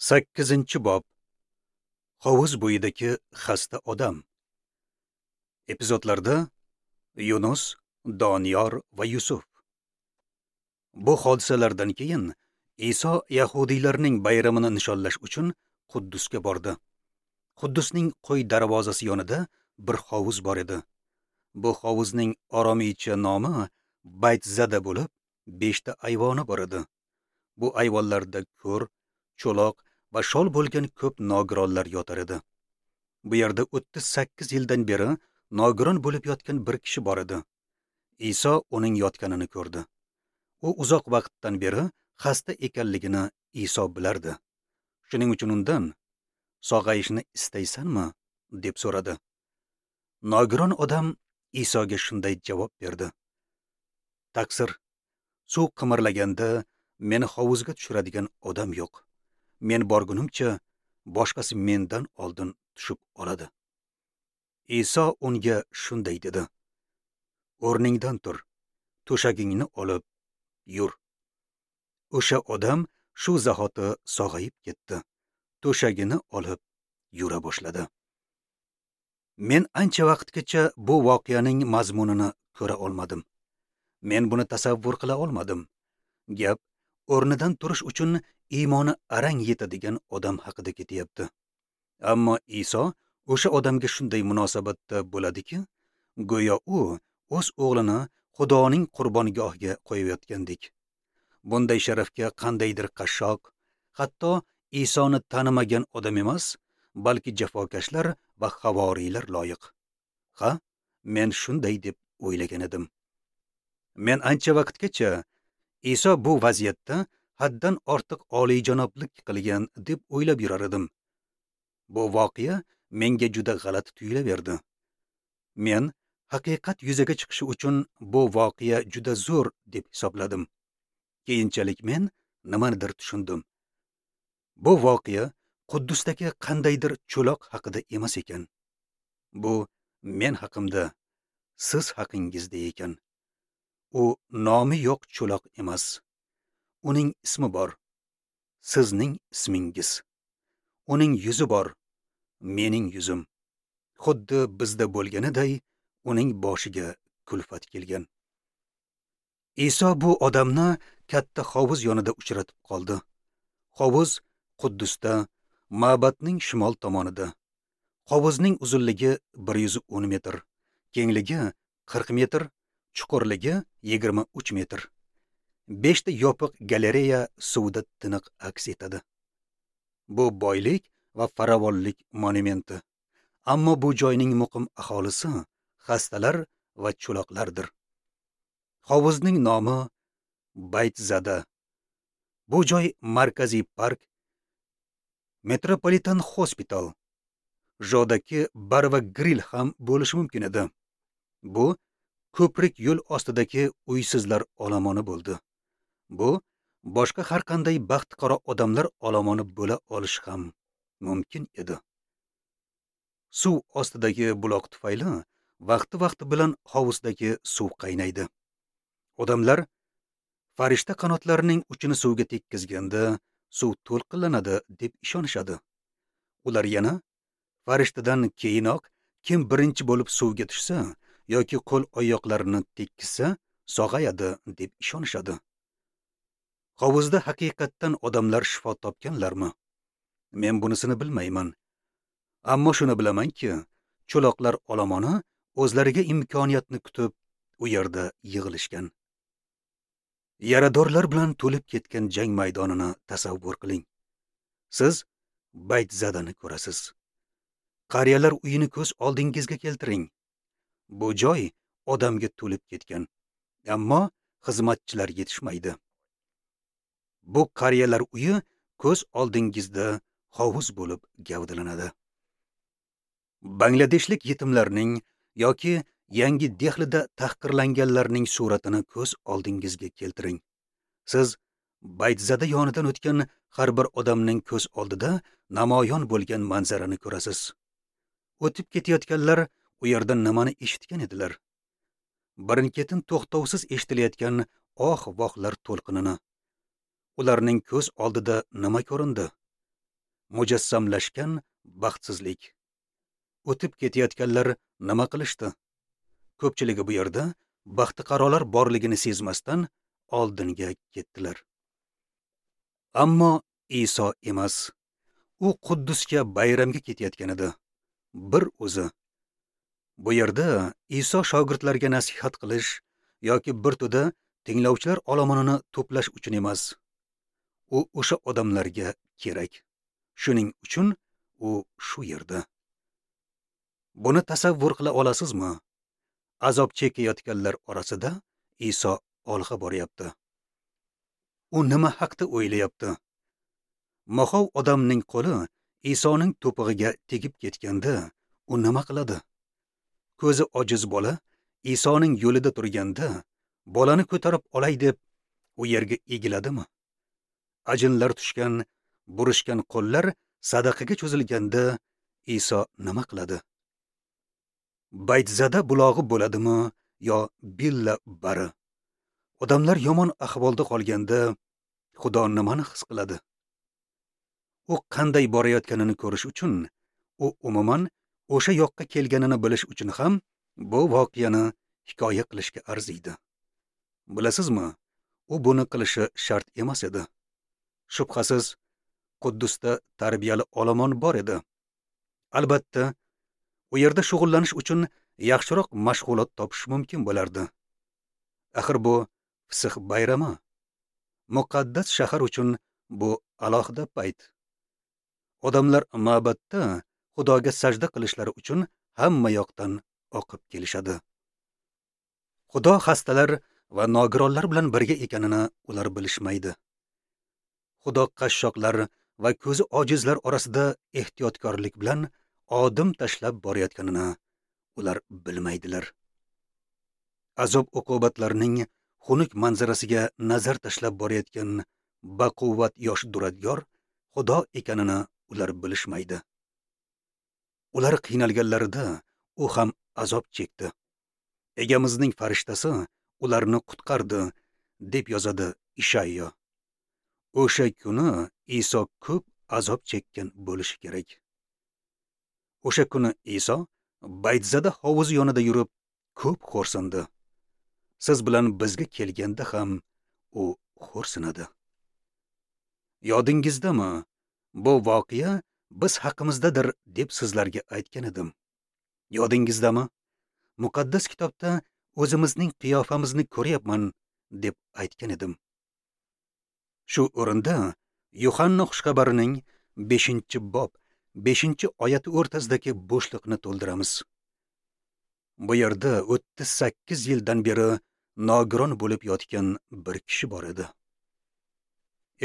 8-bob. Hovuz bo'yidagi xasta odam. Epizodlarda Yunus, Doniyor va Yusuf. Bu hodisalardan keyin Iso yahudiylarning bayramini nishonlash uchun Quddusga bordi. Quddusning qo'y darvozasi yonida bir hovuz bor edi. Bu hovuzning oromiycha nomi Baytzada bo'lib, 5 ta ayvoni bor edi. Bu ayvonlarda ko'r, cho'loq va shol bo'lgan ko'p nogironlar yotar edi. Bu yerda 38 yildan beri nogiron bo'lib yotgan bir kishi bor edi. Iso uning yotganini ko'rdi. U uzoq vaqtdan beri xasta ekanligini Iso bilardi. Shuning uchun undan: "Sog'ayishni istaysanmi?" deb so'radi. Nogiron odam Isoga shunday javob berdi: "Taqsir, suv qimirlaganda meni hovuzga tushiradigan odam yo'q. Men borgunimcha boshqasi mendan oldin tushib oladi." Iso unga shunday dedi: "O'rningdan tur, to'shagingni olib yur." O'sha odam shu zahoti sog'ayib ketdi. To'shagini olib yura boshladi. Men ancha vaqtgacha bu voqeaning mazmunini ko'ra olmadim. Men buni tasavvur qila olmadim. Gap o'rnidan turish uchun iymoni arang yetadigan odam haqida ketyapti. Ammo Iso o'sha odamga shunday munosabatda bo'ladiki, go'yo u o'z o'g'lini Xudoning qurbongohiga qo'yayotgandek. Bunday sharafga qandaydir qashshoq, hatto Isoni tanimagan odam emas, balki jafokashlar va havoriylar loyiq. Ha, men shunday deb o'ylagan edim. Men ancha vaqtgacha Iso bu vaziyatda haddan ortiq oliyjanoblik qilgan deb o'ylab yurar edim. Bu voqea menga juda g'alati tuyulaverdi. Men haqiqat yuzaga chiqishi uchun bu voqea juda zo'r deb hisobladim. Keyinchalik men nimanidir tushundim. Bu voqea Quddusdagi qandaydir cho'loq haqida emas ekan. Bu men haqimda, siz haqingizda ekan. U nomi yo'q cho'loq emas. Uning ismi bor. Sizning ismingiz. Uning yuzi bor. Mening yuzim. Xuddi bizda bo'lganiday uning boshiga kulfat kelgan. Iso bu odamni katta hovuz yonida uchratib qoldi. Hovuz Quddusda, ma'batning shimol tomonida. Hovuzning uzunligi 110 metr, kengligi 40 metr, chuqurligi 23 metr. 5 ta yopiq galereya suvda tiniq aks etadi. Bu boylik va farovonlik monumenti. Ammo bu joyning muqim aholisi xastalar va cho'loqlardir. Hovuzning nomi Baytzada. Bu joy markaziy park, Metropolitan Hospital, Jodaki bar va grill ham bo'lishi mumkin edi. Bu ko'prik yo'l ostidagi uysizlar olomoni bo'ldi. Bu boshqa har qanday baxtiqaro odamlar olomoni bo'la olishi ham mumkin edi. Suv ostidagi buloq tufayli vaqti-vaqti bilan hovuzdagi suv qaynaydi. Odamlar farishta qanotlarining uchini suvga tekkizganda suv to'lqinlanadi deb ishonishadi. Ular yana farishtadan keyinoq kim birinchi bo'lib suvga tushsa yoki qo'l oyoqlarini tekkizsa sog'ayadi deb ishonishadi. Hovuzda haqiqatdan odamlar shifo topganlarmi? Men bunisini bilmayman. Ammo shuni bilamanki, cho'loqlar olomoni o'zlariga imkoniyatni kutib u yerda yig'ilishgan. Yaradorlar bilan to'lib ketgan jang maydonini tasavvur qiling. Siz Baytzadani ko'rasiz. Qariyalar uyini ko'z oldingizga keltiring. Bu joy odamga to'lib ketgan, ammo xizmatchilar yetishmaydi. Bu qariyalar uyi ko'z oldingizda hovuz bo'lib gavdalanadi. Bangladeshlik yetimlarning yoki Yangi Dehlida tahqirlanganlarning suratini ko'z oldingizga keltiring. Siz Baytzada yonidan o'tgan har bir odamning ko'z oldida namoyon bo'lgan manzarani ko'rasiz. O'tib ketayotganlar u yerda nimani eshitgan edilar? Birin-ketin to'xtovsiz eshitilayotgan oh-vohlar to'lqinini. Ularning ko'z oldida nima ko'rindi? Mujassamlashgan baxtsizlik. O'tib ketayotganlar nima qilishdi? Ko'pchiligi bu yerda baxtiqarolar borligini sezmasdan oldinga ketdilar. Ammo Iso emas. U Quddusga bayramga ketayotgan edi. Bir o'zi. Bu yerda Iso shogirdlarga nasihat qilish yoki bir to'da tinglovchilar olomonini to'plash uchun emas. U o'sha odamlarga kerak. Shuning uchun u shu yerda. Buni tasavvur qila olasizmi? Azob chekayotganlar orasida Iso olg'a boryapti. U nima haqda o'ylayapti? Moxov odamning qo'li Isoning to'pig'iga tegib ketganda u nima qiladi? Ko'zi ojiz bola Isoning yo'lida turganda bolani ko'tarib olay deb u yerga egiladimi? Ajinlar tushgan, burishgan qo'llar sadaqaga cho'zilganda Iso nima qiladi? Baytzada bulog'i bo'ladimi yo billa bari? Odamlar yomon ahvolda qolganda Xudo nimani his qiladi? U qanday borayotganini ko'rish uchun, u umuman o'sha yoqqa kelganini bilish uchun ham bu voqeani hikoya qilishga arziydi. Bilasizmi, u buni qilishi shart emas edi. Shubhasiz, Quddusda tarbiyali olomon bor edi. Albatta, u yerda shug'ullanish uchun yaxshiroq mashg'ulot topish mumkin bo'lardi. Axir bu Fisix bayrami. Muqaddas shahar uchun bu alohida payt. Odamlar ma'batda Xudoga sajda qilishlari uchun hamma yoqdan oqib kelishadi. Xudo xastalar va nogironlar bilan birga ekanini ular bilishmaydi. Xudo qashshoqlar va ko'zi ojizlar orasida ehtiyotkorlik bilan odim tashlab borayotganini ular bilmaydilar. Azob uqubatlarning xunuk manzarasiga nazar tashlab borayotgan baquvvat yosh duradgor Xudo ekanini ular bilishmaydi. Ular qiynalganlarida u ham azob chekdi. Egamizning farishtasi ularni qutqardi, deb yozadi Ishayyo. O'sha kuni Iso ko'p azob chekkan bo'lishi kerak. O'sha kuni Iso Baytzada hovuzi yonida yurib ko'p xo'rsindi. Siz bilan bizga kelganda ham u xo'rsinadi. Yodingizdami? Bu voqea biz haqimizdadir deb sizlarga aytgan edim. Yodingizdami? Muqaddas kitobda o'zimizning qiyofamizni ko'ryapman deb aytgan edim. Shu o'rinda Yuhanna xushxabarining 5-bob 5-oyati o'rtasidagi bo'shliqni to'ldiramiz. Bu yerda 38 yildan beri nogiron bo'lib yotgan bir kishi bor edi.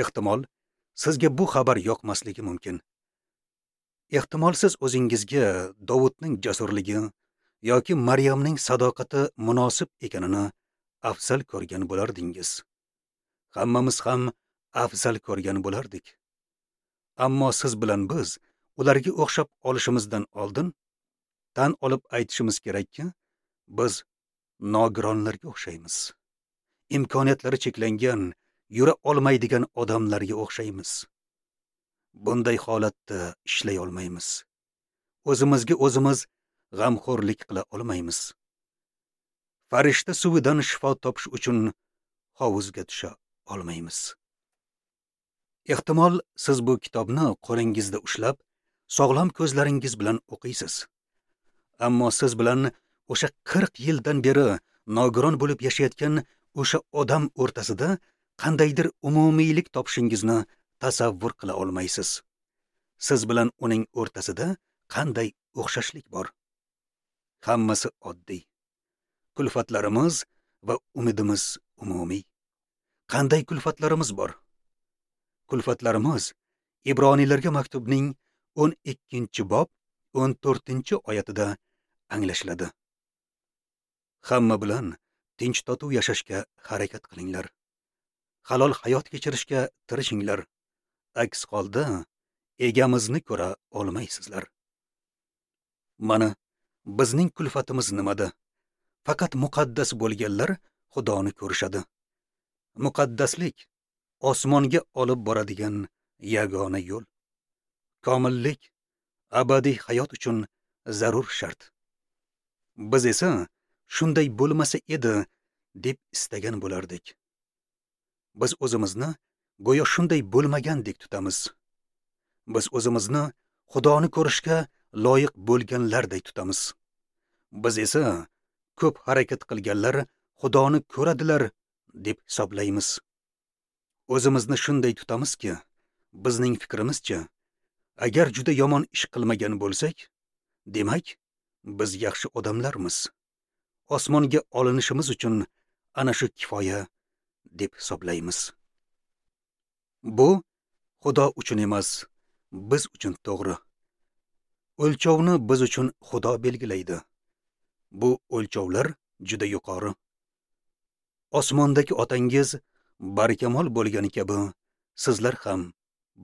Ehtimol, sizga bu xabar yoqmasligi mumkin. Ehtimol siz o'zingizga Dovudning jasurligi yoki Maryamning sadoqati munosib ekanini afzal ko'rgan bo'lardingiz. Hammamiz ham afzal ko'rgan bo'lardik. Ammo siz bilan biz ularga o'xshab olishimizdan oldin tan olib aytishimiz kerakki, biz nogironlarga o'xshaymiz. Imkoniyatlari cheklangan, yura olmaydigan odamlarga o'xshaymiz. Bunday holatda ishlay olmaymiz. O'zimizga o'zimiz g'amxo'rlik qila olmaymiz. Farishta suvidan shifo topish uchun hovuzga tusha olmaymiz. Ehtimol siz bu kitobni qo'lingizda ushlab, sog'lom ko'zlaringiz bilan o'qiysiz. Ammo siz bilan o'sha 40 yildan beri nogiron bo'lib yashayotgan o'sha odam o'rtasida qandaydir umumiylik topishingizni tasavvur qila olmaysiz. Siz bilan uning o'rtasida qanday o'xshashlik bor? Hammasi oddiy. Kulfatlarimiz va umidimiz umumiy. Qanday kulfatlarimiz bor? Kulfatlarimiz Ibroniylarga maktubning 12-bob 14-oyatida anglashiladi. Hamma bilan tinch totuv yashashga harakat qilinglar. Halol hayot kechirishga tirishinglar. Aks holda egamizni ko'ra olmaysizlar. Mana bizning kulfatimiz nimada? Faqat muqaddas bo'lganlar Xudoni ko'rishadi. Muqaddaslik osmonga olib boradigan yagona yo'l. Komillik abadiy hayot uchun zarur shart. Biz esa shunday bo'lmasa edi deb istagan bo'lardik. Biz o'zimizni go'yo shunday bo'lmagandek tutamiz. Biz o'zimizni Xudoni ko'rishga loyiq bo'lganlarday tutamiz. Biz esa ko'p harakat qilganlar Xudoni ko'radilar deb hisoblaymiz. O'zimizni shunday tutamizki, bizning fikrimizcha, agar juda yomon ish qilmagan bo'lsak, demak, biz yaxshi odamlarmiz. Osmonga olinishimiz uchun ana shu kifoya deb hisoblaymiz. Bu Xudo uchun emas, biz uchun to'g'ri. O'lchovni biz uchun Xudo belgilaydi. Bu o'lchovlar juda yuqori. Osmondagi otangiz barkamol bo'lgani kabi sizlar ham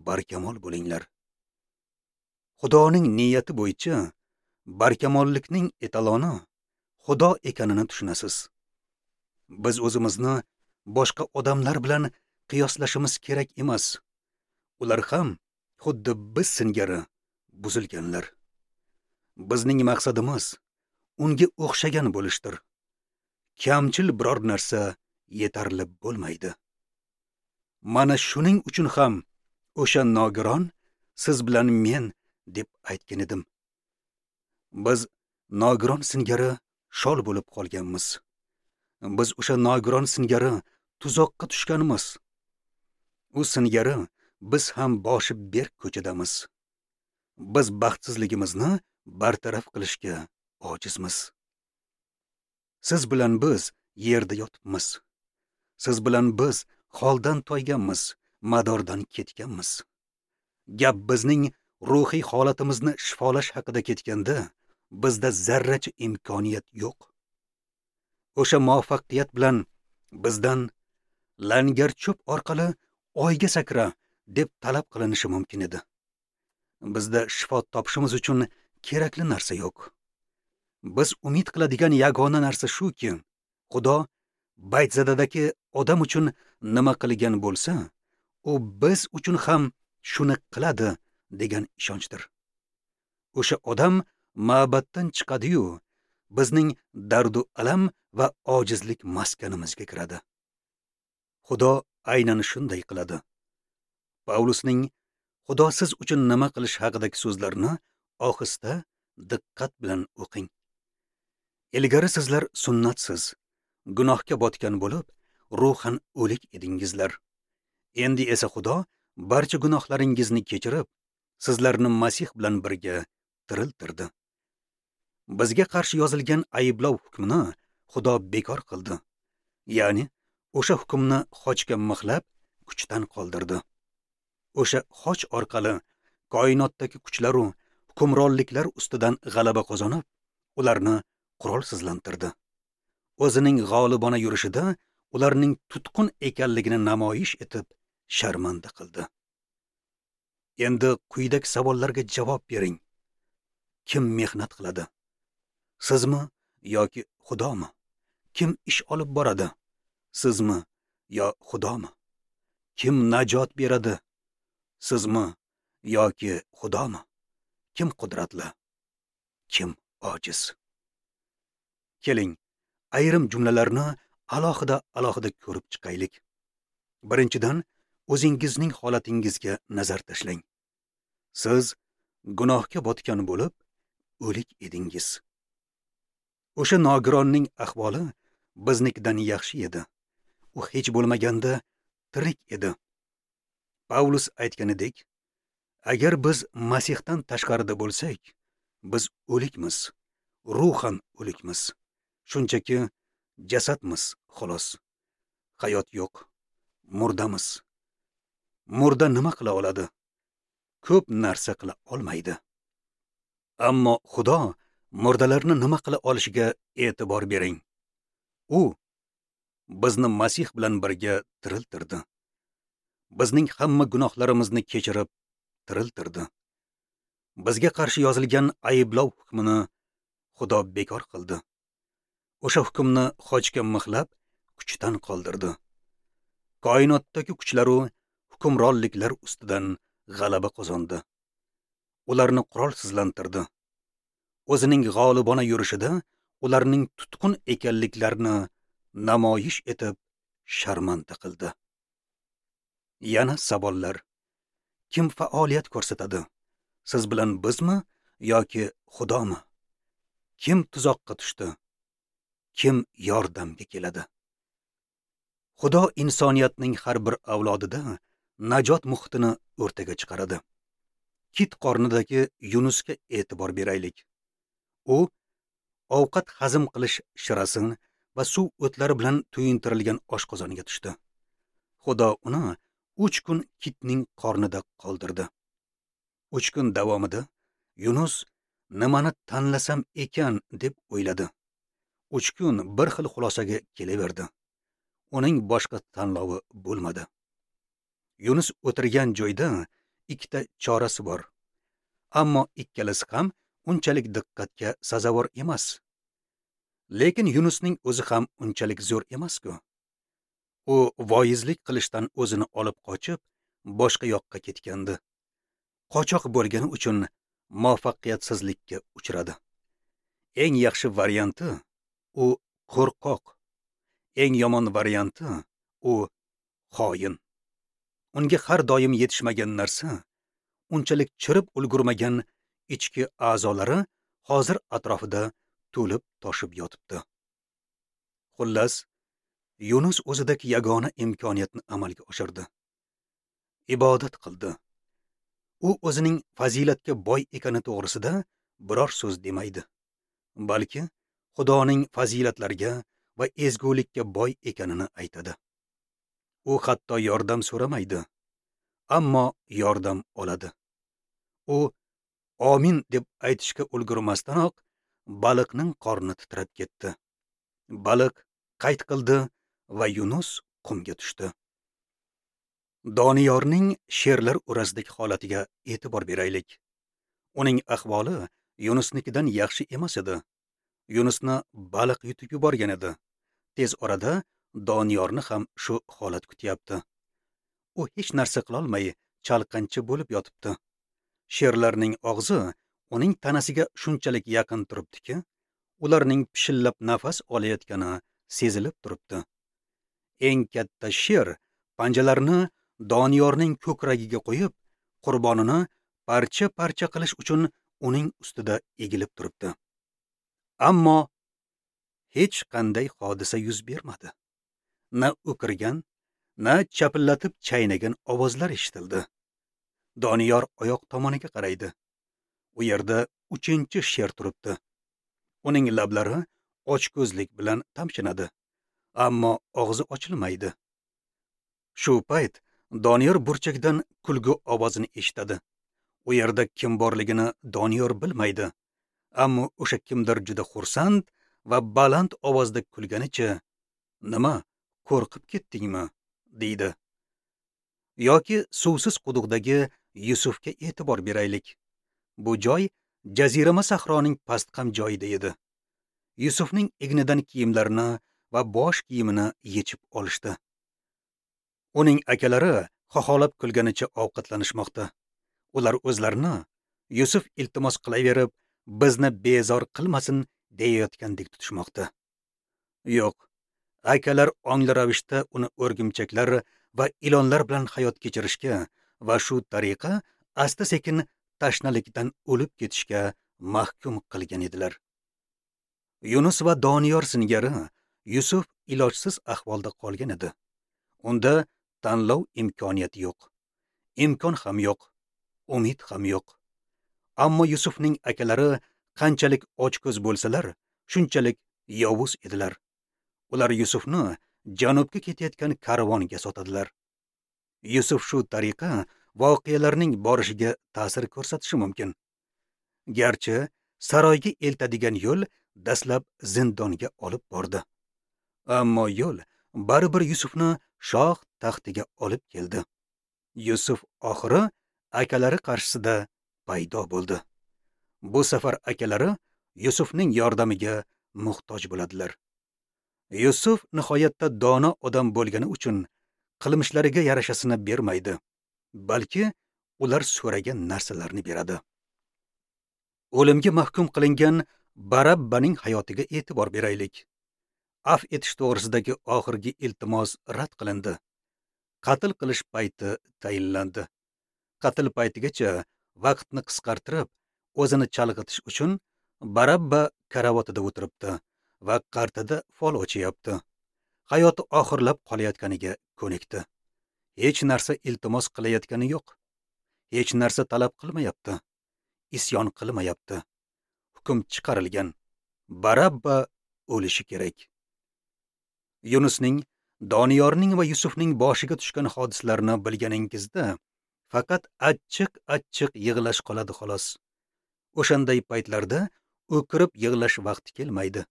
barkamol bo'linglar. Xudoning niyati bo'yicha barkamollikning etaloni Xudo ekanini tushunasiz. Biz o'zimizni boshqa odamlar bilan qiyoslashimiz kerak emas. Ular ham xuddi biz singari buzilganlar. Bizning maqsadimiz unga o'xshagan bo'lishdir. Kamchil biror narsa yetarli bo'lmaydi. Mana shuning uchun ham o'sha nogiron siz bilan men deb aytgan edim. Biz nogiron singari shol bo'lib qolganmiz. Biz o'sha nogiron singari tuzoqqa tushganmiz. U singari biz ham boshi berk ko'chadamiz. Biz baxtsizligimizni bartaraf qilishga ojizmiz. Siz bilan biz yerda yotibmiz. Siz bilan biz holdan toyganmiz, madordan ketganmiz. Gap bizning ruhiy holatimizni shifolash haqida ketganda, bizda zarracha imkoniyat yo'q. O'sha muvaffaqiyat bilan bizdan langar cho'p orqali oyga sakra deb talab qilinishi mumkin edi. Bizda shifo topishimiz uchun kerakli narsa yo'q. Biz umid qiladigan yagona narsa shuki, Xudo Baytzadadagi odam uchun nima qilgan bo'lsa, u biz uchun ham shuni qiladi degan ishonchdir. O'sha odam ma'batdan chiqadi-yu, bizning dardu alam va ojizlik maskanimizga kiradi. Xudo aynan shunday qiladi. Pavlusning Xudo siz uchun nima qilish haqidagi so'zlarini ohista diqqat bilan o'qing. Ilgari sizlar sunnatsiz, gunohga botgan bo'lib, ruhan o'lik edingizlar. Endi esa Xudo barcha gunohlaringizni kechirib, sizlarni Masih bilan birga tiriltirdi. Bizga qarshi yozilgan ayblov hukmini Xudo bekor qildi. Ya'ni o'sha hukmni xochga mixlab, kuchdan qoldirdi. O'sha xoch orqali koinotdagi kuchlar va hukmronliklar ustidan g'alaba qozonib, ularni qurolsizlantirdi. O'zining g'olibona yurishida ularning tutqun ekanligini namoyish etib, sharmanda qildi. Endi quyidagi savollarga javob bering. Kim mehnat qiladi? Sizmi yoki Xudomi? Kim ish olib boradi? Sizmi yo Xudomi? Kim najot beradi? Sizmi yoki Xudomi? Kim qudratli? Kim ojiz? Keling, ayrim jumlalarni alohida ko'rib chiqaylik. Birinchidan, o'zingizning holatingizga nazar tashlang. Siz gunohga botgan bo'lib, o'lik edingiz. O'sha nogironning ahvoli biznikidan yaxshi edi. U hech bo'lmaganda tirik edi. Pavlus aytganidek, agar biz Masihdan tashqarida bo'lsak, biz o'likmiz, ruhan o'likmiz. Shunchaki jasadmiz, xolos. Hayot yo'q, murdamiz. Murda nima qila oladi? Ko'p narsa qila olmaydi. Ammo Xudo murdalarni nima qila olishiga e'tibor bering. U bizni Masih bilan birga tiriltirdi. Bizning hamma gunohlarimizni kechirib, tiriltirdi. Bizga qarshi yozilgan ayblov hukmini Xudo bekor qildi. O'sha hukmni xochga mixlab, kuchdan qoldirdi. Koinotdagi kuchlar va hukmronliklar ustidan g'alaba qozondi. Ularni qurolsizlantirdi. O'zining g'olibona yurishida ularning tutqun ekanliklarini namoyish etib sharmanda qildi. Yana savollar. Kim faoliyat ko'rsatadi? Siz bilan bizmi yoki Xudomi? Kim tuzoqqa tushdi? Kim yordamga keladi? Xudo insoniyatning har bir avlodida najot muhitini o'rtaga chiqaradi. Kit qornidagi Yunusga e'tibor beraylik. U ovqat hazm qilish shirasini va suv o'tlari bilan to'yintirilgan oshqozoniga tushdi. Xudo uni 3 kun kitning qornida qoldirdi. 3 kun davomida Yunus nimani tanlasam ekan deb o'yladi. 3 kun bir xil xulosaga kelaverdi. Uning boshqa tanlovi bo'lmadi. Yunus o'tirgan joyda ikkita chorasi bor. Ammo ikkalasi ham unchalik diqqatga sazovor emas. Lekin Yunusning o'zi ham unchalik zo'r emas-ku. U voizlik qilishdan o'zini olib qochib, boshqa yoqqa ketgandi. Qochoq bo'lgani uchun muvaffaqiyatsizlikka uchradi. Eng yaxshi varianti u qo'rqoq. Eng yomon varianti u xoin. Unga har doim yetishmagan narsa, unchalik chirib ulgurmagan ichki a'zolari hozir atrofida to'lib toshib yotibdi. Xullas, Yunus o'zidagi yagona imkoniyatni amalga oshirdi. Ibodat qildi. U o'zining fazilatga boy ekani to'g'risida biror so'z demaydi, balki Xudoning fazilatlariga va ezgulikka boy ekanini aytadi. U hatto yordam so'ramaydi, ammo yordam oladi. U amin deb aytishga ulgurmasdanoq baliqning qorni titrab ketdi. Baliq qayt qildi va Yunus qumga tushdi. Doniyorning sherlar o'rasidagi holatiga e'tibor beraylik. Uning ahvoli Yunusnikidan yaxshi emas edi. Yunusni baliq yutib yuborgan edi. Tez orada Doniyorni ham shu holat kutyapti. U hech narsa qilolmay chalqancha bo'lib yotibdi. Sherlarning og'zi uning tanasiga shunchalik yaqin turibdiki, ularning pishillab nafas olayotgani sezilib turibdi. Eng katta sher panjalarini Doniyorning ko'kragiga qo'yib, qurbonini parcha-parcha qilish uchun uning ustida egilib turibdi. Ammo hech qanday hodisa yuz bermadi. Na o'kirgan, na chapillatib chaynagan ovozlar eshitildi. Doniyor oyoq tomoniga qaraydi. U yerda 3-sher turibdi. Uning lablari ochko'zlik bilan tamshanadi, ammo og'zi ochilmaydi. Shu payt Doniyor burchakdan kulgu ovozini eshitadi. U yerda kim borligini Doniyor bilmaydi, ammo o'sha kimdir juda xursand va baland ovozda kulganicha, "Nima, qo'rqib ketdingmi?" deydi. Yoki suvsiz quduqdagi Yusufga e'tibor beraylik. Bu joy jazirama sahroning pastqam joyida edi. Yusufning egnidan kiyimlarini va bosh kiyimini yechib olishdi. Uning akalari xoholab kulganicha ovqatlanishmoqda. Ular o'zlarini Yusuf iltimos qilaverib, bizni bezor qilmasin deyayotgandek tutishmoqda. Yo'q, akalar ongli ravishda uni o'rgimchaklar va ilonlar bilan hayot kechirishga va shu tariqa asta-sekin tashnalikdan o'lib ketishga mahkum qilgan edilar. Yunus va Doniyor singari Yusuf ilojsiz ahvolda qolgan edi. Unda tanlov imkoniyati yo'q. Imkon ham yo'q, umid ham yo'q. Ammo Yusufning akalari qanchalik ochko'z bo'lsalar, shunchalik yovuz edilar. Ular Yusufni janubga ketayotgan karvonga sotadilar. Yusuf shu tariqa voqealarning borishiga ta'sir ko'rsatishi mumkin. Garchi saroyga eltadigan yo'l dastlab zindonga olib bordi. Ammo yo'l baribir Yusufni shoh taxtiga olib keldi. Yusuf oxiri akalari qarshisida paydo bo'ldi. Bu safar akalari Yusufning yordamiga muhtoj bo'ladilar. Yusuf nihoyatda dono odam bo'lgani uchun qilmishlariga yarashasini bermaydi, balki ular so'ragan narsalarni beradi. O'limga mahkum qilingan Barabbaning hayotiga e'tibor beraylik. Af etish to'g'risidagi oxirgi iltimos rad qilindi. Qatl qilish payti tayinlandi. Qatl paytigacha vaqtni qisqartirib, o'zini chalg'itish uchun Barabba karavotida o'tiribdi va qartada fol ochyapti. Hayoti oxirlab qolayotganiga ko'nikdi. Hech narsa iltimos qilayotgani yo'q. Hech narsa talab qilmayapti. Isyon qilmayapti. Hukm chiqarilgan. Barabba o'lishi kerak. Yunusning, Doniyorning va Yusufning boshiga tushgan hodisalarni bilganingizda faqat achchiq-achchiq yig'lash qoladi xolos. O'shanday paytlarda o'kirib yig'lash vaqti kelmaydi.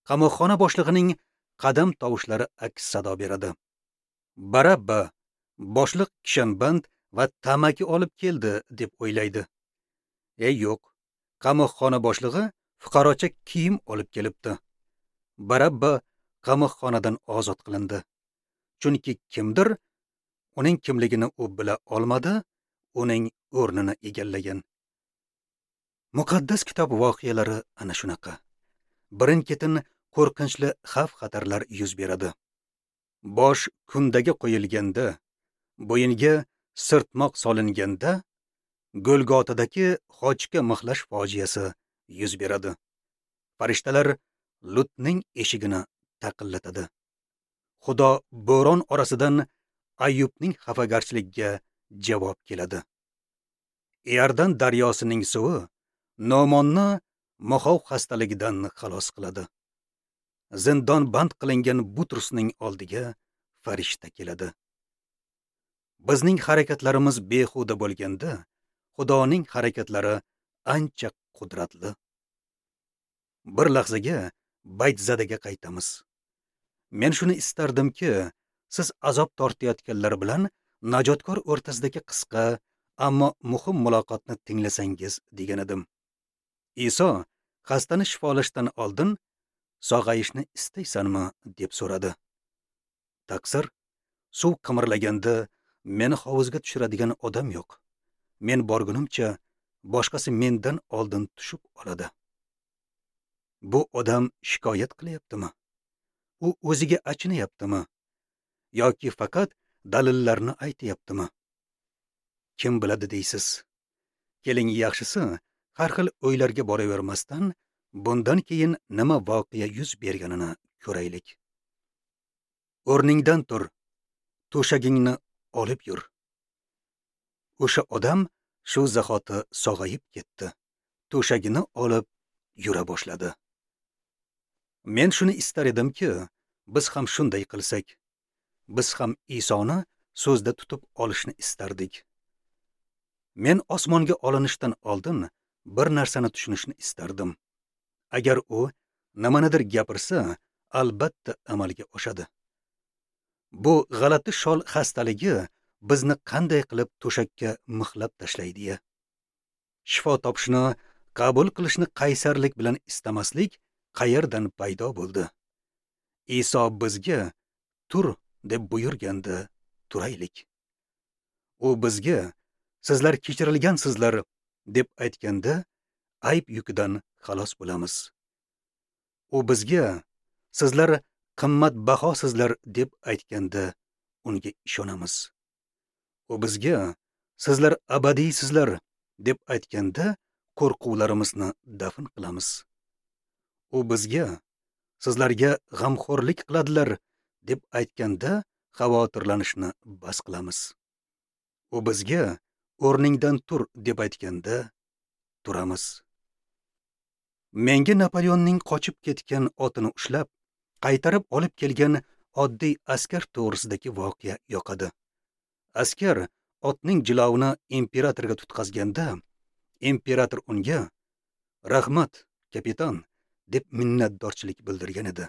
Qamoqxona boshlig'ining qadam tovushlari aks sado beradi. Barabba boshliq kishanband va tamaki olib keldi deb o'ylaydi. Ey yo'q, qamoqxona boshlig'i fuqarocha kiyim olib kelibdi. Barabba qamoqxonadan ozod qilindi. Chunki kimdir uning kimligini u bila olmadi, uning o'rnini egallagan. Muqaddas kitob voqealari ana shunaqa. Birin-ketin qo'rqinchli xavf-xatarlar yuz beradi. Bosh kundaga qo'yilganda, bo'yinga sirtmoq solinganda, Golgotadagi xochga mixlash fojiasi yuz beradi. Farishtalar Lutning eshigini taqillatadi. Xudo bo'ron orasidan Ayyubning xafagarchiligiga javob keladi. Iordan daryosining suvi Nomonni moxov xastaligidan xalos qiladi. Zindon band qilingan Butrusning oldiga farishta keladi. Bizning harakatlarimiz behuda bo'lganda, Xudoning harakatlari ancha qudratli. Bir lahzaga Baytzadaga qaytamiz. Men shuni istardimki, siz azob tortayotganlar bilan najotkor o'rtasidagi qisqa, ammo muhim muloqotni tinglasangiz degan edim. Iso xastani shifolashdan oldin sog'ayishni istaysanmi deb so'radi. Taqsir, suv qimirlaganda meni hovuzga tushiradigan odam yo'q. Men borgunimcha boshqasi mendan oldin tushib oladi. Bu odam shikoyat qilyaptimi? U o'ziga achinayaptimi? Yoki faqat dalillarni aytayaptimi? Kim biladi deysiz? Keling, yaxshisi har xil o'ylarga boravermasdan bundan keyin nima voqea yuz berganini ko'raylik. O'rningdan tur, to'shagingni olib yur. O'sha odam shu zahoti sog'ayib ketdi. To'shagini olib yura boshladi. Men shuni istar edimki, biz ham shunday qilsak. Biz ham Isoni so'zda tutib olishni istardik. Men osmonga olinishdan oldin bir narsani tushunishni istardim. Agar u nimanidir gapirsa, albatta amalga oshadi. Bu g'alati shol xastaligi bizni qanday qilib to'shakka mixlab tashlaydi-ya? Shifo topishni, qabul qilishni qaysarlik bilan istamaslik qayerdan paydo bo'ldi? Iso bizga tur deb buyurganda turaylik. U bizga sizlar kechirilgansizlar deb aytganda ayb yukidan xalos bo'lamiz. U bizga sizlar qimmatbahosizlar deb aytganda unga ishonamiz. U bizga sizlar abadiysizlar deb aytganda qo'rquvlarimizni dafn qilamiz. U bizga sizlarga g'amxo'rlik qiladilar deb aytganda xavotirlanishni bas qilamiz. U bizga o'rningdan tur deb aytganda turamiz. Menga Napoleonning qochib ketgan otini ushlab, qaytarib olib kelgan oddiy askar to'g'risidagi voqea yoqadi. Askar otning jilovini imperatorga tutqazganda, imperator unga "Rahmat, kapitan" deb minnatdorchilik bildirgan edi.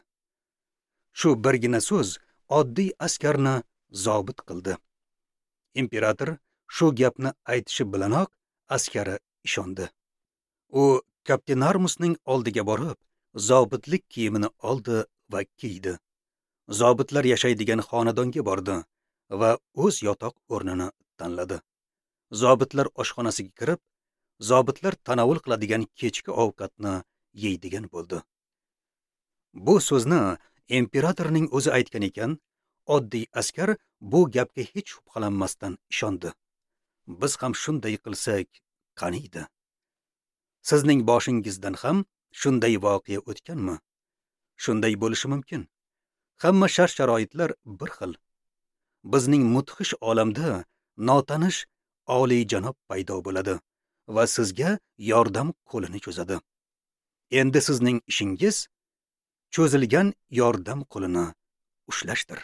Shu birgina so'z oddiy askarni zobit qildi. Imperator shu gapni aytishi bilanoq askari ishondi. U Kaptenarmusning oldiga borib, zobitlik kiyimini oldi va kiydi. Zobitlar yashaydigan xonadonga bordi va o'z yotoq o'rnini tanladi. Zobitlar oshxonasiga kirib, Zobitlar tanovul qiladigan kechki ovqatni yeydigan bo'ldi. Bu so'zni imperatorning o'zi aytgan ekan, oddiy askar bu gapga hech shubhalanmasdan ishondi. Biz ham shunday qilsak, qaniydi? Sizning boshingizdan ham shunday voqea o'tganmi? Shunday bo'lishi mumkin. Hamma shart-sharoitlar bir xil. Bizning mudhish olamda notanish oliyjanob paydo bo'ladi va sizga yordam qo'lini cho'zadi. Endi sizning ishingiz cho'zilgan yordam qo'lini ushlashdir.